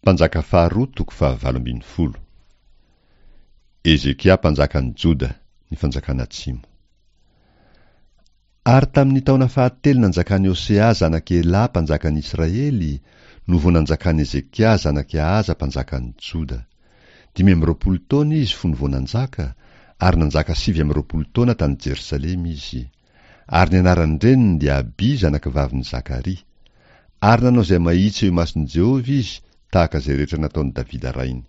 Mpanjaka faharoa toko fahavalo ambin'ny folo. Hezekia mpanjakan'i Joda, ny fanjakana atsimo. Ary tamin'ny taona fahatelo nanjakan'i Hosea zanak'i Elà mpanjakan'i Israely, no vao nanjakan'i Hezekia zanak'i Ahaza mpanjakan'i Joda. 25 taona izy fony vao nanjaka, ary nanjaka 29 taona tany Jerosalema izy. Ary ny anaran-dreniny dia Abia zanakavavin'i Zakaria. Ary nanao izay mahitsy eo imason'i Jehovah izy, tahaka izay rehetra nataon'i Davida rainy.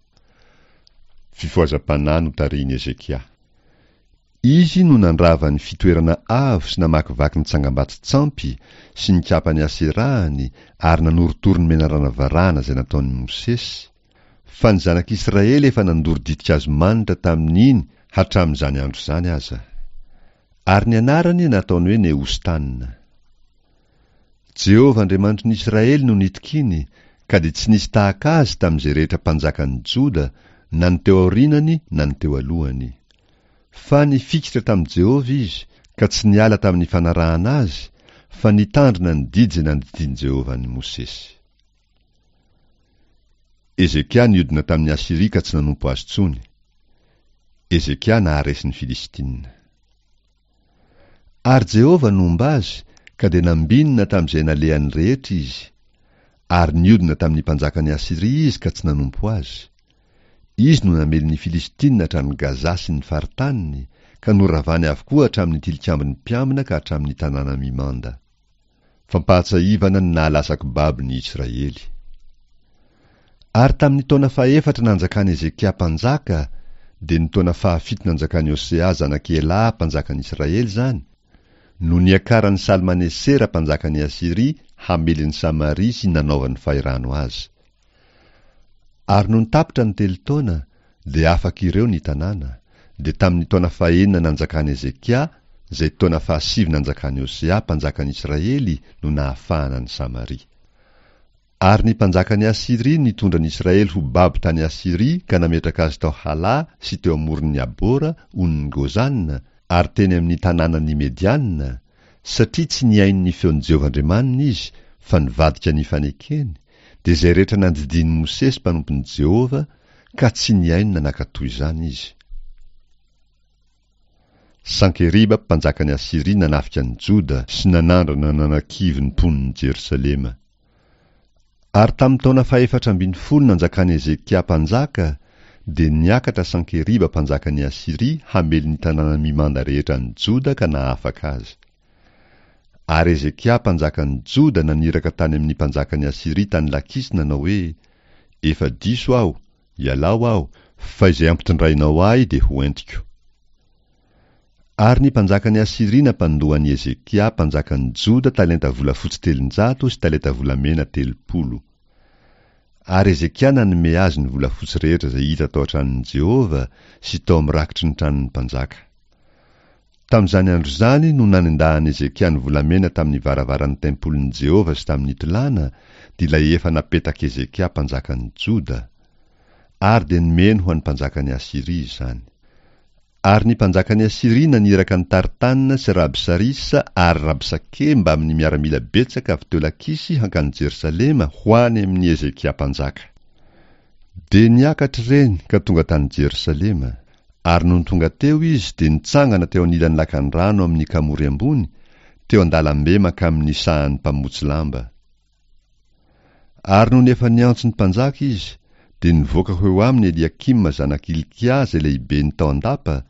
Fifohazam-panahy notarihin'i Hezekia. Izy no nandrava ny fitoerana avo sy namakivaky ny tsangambato-tsampy sy nikapa ny Aserahany ary nanorotoro ny menarana varahana izay nataon'i Mosesy, fa ny zanak'Israely efa nandoro ditin-kazo manitra tamin'iny hatramin'izany andro izany aza. Ary ny anarany nataony hoe Nehostana. Jehovah Andriamanitry ny Israely no nitokiany, ka dia tsy nisy tahaka azy tamin'izay rehetra mpanjakan'ny Joda, na ny teo aorianany na ny teo alohany. Fa nifikitra tamin'i Jehovah izy, ka tsy niala tamin'ny fanarahana azy, fa nitandrina ny didy izay nandidian'i Jehovah an'i Mosesy. Hezekia niodina tamin'i Asyria ka tsy nanompo azy intsony. Hezekia naharesy ny Filistina. Ary Jehovah nomba azy, ka dia nambinina tamin'izay nalehany rehetra izy. Ary niodina tamin'ny mpanjakan'i Asyria izy ka tsy nanompo azy. Izy no namely ny Filistina hatrany Gaza sy ny faritaniny, ka noravany avokoa hatramin'ny tilikambon'ny mpiambina ka hatramin'ny tanàna mimanda. Fampahatsiahivana ny nahalasako babo ny Israely. Ary tamin'ny taona fahefatra nanjakan'i Hezekia mpanjaka, dia ny taona fahafito nanjakan'i Hosea zanak'i Elà mpanjakan'i Israely izany, no niakaran'i Salmanesera mpanjakan'i Asyria hamely an'i Samaria sy nanaovany fahirano azy. Ary nony tapitra ny telo taona, dia afaka ireo ny tanàna, dia tamin'ny taona fahenina nanjakan'i Hezekia, izay taona fahasivy nanjakan'i Hosea mpanjakan'i Israely no nahafahana an'i Samaria. Ary ny mpanjakan'i Asyria nitondra ny Israely ho babo tany Asyria ka nametraka azy tao Hala sy teo amoron'ny Abora, onin'i Gozana, ary teny amin'ny tanànan'ny Mediana, satria tsy nihaino ny feon'i Jehovah Andriamaniny izy fa nivadika ny fanekeny, dia izay rehetra nandidian'i Mosesy mpanompon'i Jehovah, ka tsy nihaino na nankatò izany izy. Sankeriba mpanjakan'i Asyria nanafika an'i Joda sy nanandrana nanakivy ny mponin'i Jerosalema. Ary tamin'ny taona fahefatra ambin'ny folo nanjakan'i Hezekia mpanjaka, dia niakatra Sankeriba mpanjakan'i Asyria hamely ny tanàna mimanda rehetra any Joda ka nahafaka azy. Ary Hezekia mpanjakan'i Joda naniraka tany amin'ny mpanjakan'i Asyria tany Lakisy nanao hoe, Efa diso aho, ialao aho, fa izay ampitondrainao ahy dia ho entiko. Ary ny mpanjakan'i Asyria nampandoa an'i Hezekia mpanjakan'i Joda talenta volafotsy 300 sy talenta volamena 30. Ary Hezekia nanome azy ny volafotsy rehetra izay hita tao an-tranon'i Jehovah sy tao amin'ny rakitry ny tranon'ny mpanjaka. Tamin'izany andro izany no nanendahan'i Hezekia ny volamena tamin'ny varavaran'ny tempolin'i Jehovah sy tamin'ny tolàna, dia ilay efa napetak'i Hezekia mpanjakan'i Joda. Ary dia nomeny ho an'ny mpanjakan'i Asyria izany. Ary ny mpanjakan'i Asyria naniraka an'i Tartana sy Rabsarisa ary Rabsake mbamin'ny miaramila betsaka avy teo Lakisy hankany Jerosalema ho any amin'i Hezekia mpanjaka. Dia niakatra ireny ka tonga tany Jerosalema. Ary nony tonga teo izy dia nitsangana teo anilan'ny lakandrano amin'ny kamory ambony, teo an-dalambe mankamin'ny sahan'ny mpamotsy lamba. Ary nony efa niantso ny mpanjaka izy, dia nivoaka ho eo aminy Eliakima zanak'i Hilkia izay lehiben'ny tao an-dapa,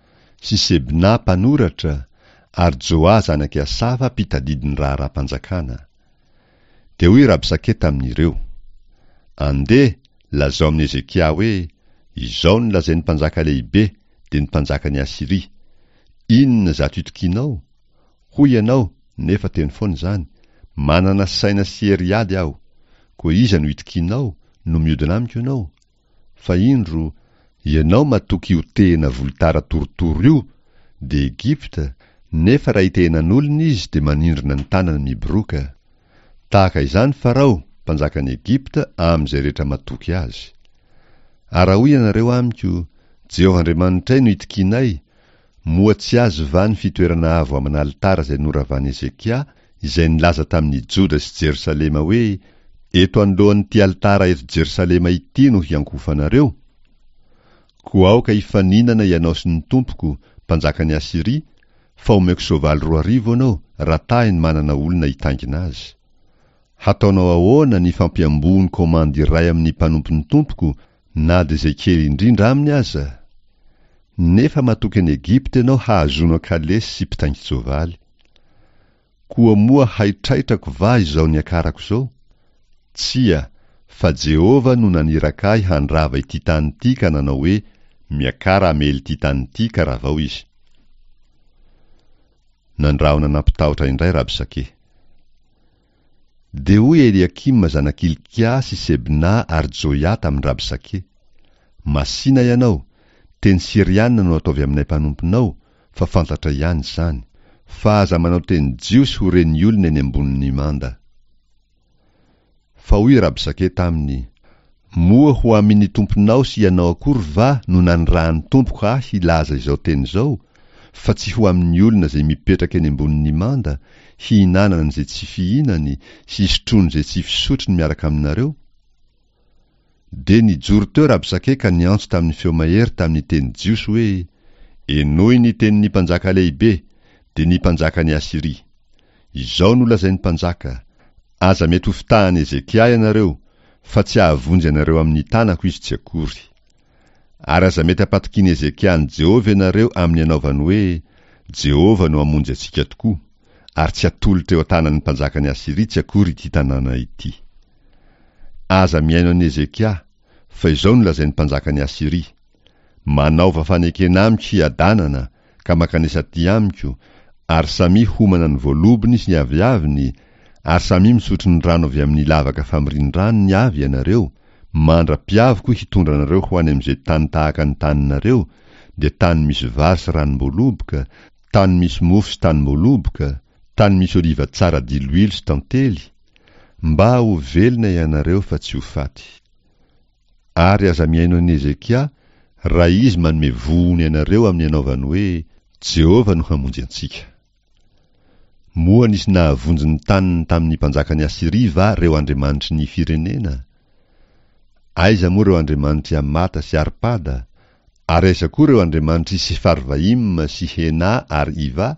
sy Sebna mpanoratra, ary Joa zanak'i Asafa mpitadidy ny raharaham-panjakana. Dia hoy Rabsake tamin'ireo, Andeha, lazao amin'i Hezekia hoe, 'Izao no lazain'ny mpanjaka lehibe, dia ny mpanjakan'i Asyria, Inona izato itokianao? Hoy ianao, nefa teny foana izany, Manana saina sy hery hiady aho. Koa iza no itokianao, no miodina amiko ianao? Fa indro, ianao matoky io tehina volotara torotoro io, dia Egypta, nefa raha itehenan'olona izy dia manindrona ny tanany miboroaka. Tahaka izany Farao, mpanjakan'i Egypta, amin'izay rehetra matoky azy. Ary raha hoy ianareo amiko, Jehovah Andriamanitray no itokianay, Moa tsy azy va ny fitoerana avo aman'alitara izay noravan'i Hezekia, izay nilaza tamin'i Joda sy Jerosalema hoe, Eto anoloan'ity alitara eto Jerosalema ity no hiankohofanareo? Koa aoka hifaninana ianao sy ny tompoko, mpanjakan'i Asyria, fa omeko soavaly 2000 ianao, raha tahiny manana olona hitaingina azy. Hataonao ahoana ny fampiamboho ny komandy iray amin'ny mpanompon'ny tompoko, na dia izay kely indrindra aminy aza? Nefa matoky an'i Egypta ianao hahazoanao kalesy sy mpitaingin-tsoavaly. Koa moa haitraitrako va izao niakarako izao? Tsia, fa Jehovah no naniraka ahy handrava ity tany ity ka nanao hoe, Miakara hamely ity tany ity ka ravao izy. Nandrahona nampitahotra indray Rabsake. Dia hoy Eliakima zanak'i Hilkia sy Sebna ary Joia tamin-dRabsake, Masìna ianao, teny syriana no ataovy aminay mpanomponao, fa fantatray ihany izany, fa aza manao teny jiosy ho ren'ny olona eny ambonin'ny manda. Fa hoy Rabsake taminy, Moa ho amin' ny tomponao sy ianao akory va no nanirahan'ny tompoko ahy hilaza izao teny izao, fa tsy ho amin' ny olona izay mipetraka eny ambonin' ny manda, hihinanany izay tsy fihinany sy hisotroany izay tsy fisotrony miaraka aminareo? Dia nijoro teo Rabsake ka niantso tamin'ny feo mahery tamin'ny teny jiosy hoe, Henoy ny tenin'ny mpanjaka lehibe, dia ny mpanjakan'i Asyria. Izao no lazain'ny mpanjaka, Aza mety hofitahan'i Hezekia ianareo, fa tsy hahavonjy anareo amin'ny tanako izy tsy akory. Ary aza mety hampatokian'i Hezekia an'i Jehovah ianareo amin'ny anaovany hoe, Jehovah no hamonjy antsika tokoa, ary tsy hatolotra eo an-tanan'ny mpanjakan'i Asyria tsy akory ity tanàna ity. Aza mihaino an'i Hezekia, fa izao no lazain'ny mpanjakan'i Asyria, Manaova fanekena amiko hiadanana, ka mankanesa aty amiko, ary samia homana ny voalobony sy ny aviaviny, ary samia misotro ny rano avy amin'ny lavaka famorian-dranony avy ianareo, mandra-piaviko hitondra anareo ho any amin'izay tany tahaka ny taninareo, dia tany misy vary sy ranom-boaloboka, tany misy mofo sy tanim-boaloboka, tany misy oliva tsara diloilo sy tantely, mba ho velona ianareo fa tsy ho faty. Ary aza mihaino an'i Hezekia, raha izy manome vohony anareo amin'ny anaovany hoe, Jehovah no hamonjy antsika. Moa nisy nahavonjy ny taniny tamin'ny mpanjakan'i Asyria va ireo andriamanitry ny firenena? Aiza moa ireo andriamanitr'i Hamata sy Arpada? Ary aiza koa ireo andriamanitr'i Sefarvaima sy Hena ary Iva?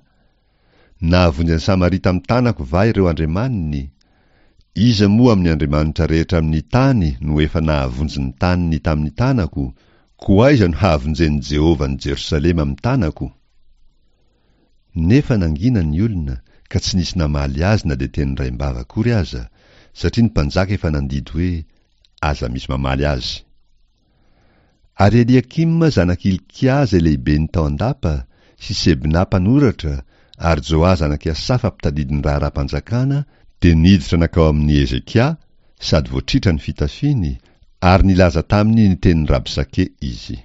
Nahavonjy an'i Samaria tamin'ny tanako va ireo andriamaniny? Iza moa amin'ny andriamanitra rehetra amin'ny tany no efa nahavonjy ny taniny tamin'ny tanako, koa aiza no hahavonjen'i Jehovah an'i Jerosalema amin'ny tanako? Nefa nangina ny olona, ka tsy nisy namaly azy na dia teny raim-bava akory aza, satria ny mpanjaka efa nandidy hoe, Aza misy mamaly azy. Ary Eliakima zanak'i Hilkia izay lehiben'ny tao an-dapa, sy Sebna mpanoratra, ary Joa zanak'i Asafa mpitadidy ny raharaham-panjakana, dia niditra nankao amin'i Hezekia, sady voatritra ny fitafiany, ary nilaza taminy ny tenin'i Rabsake izy.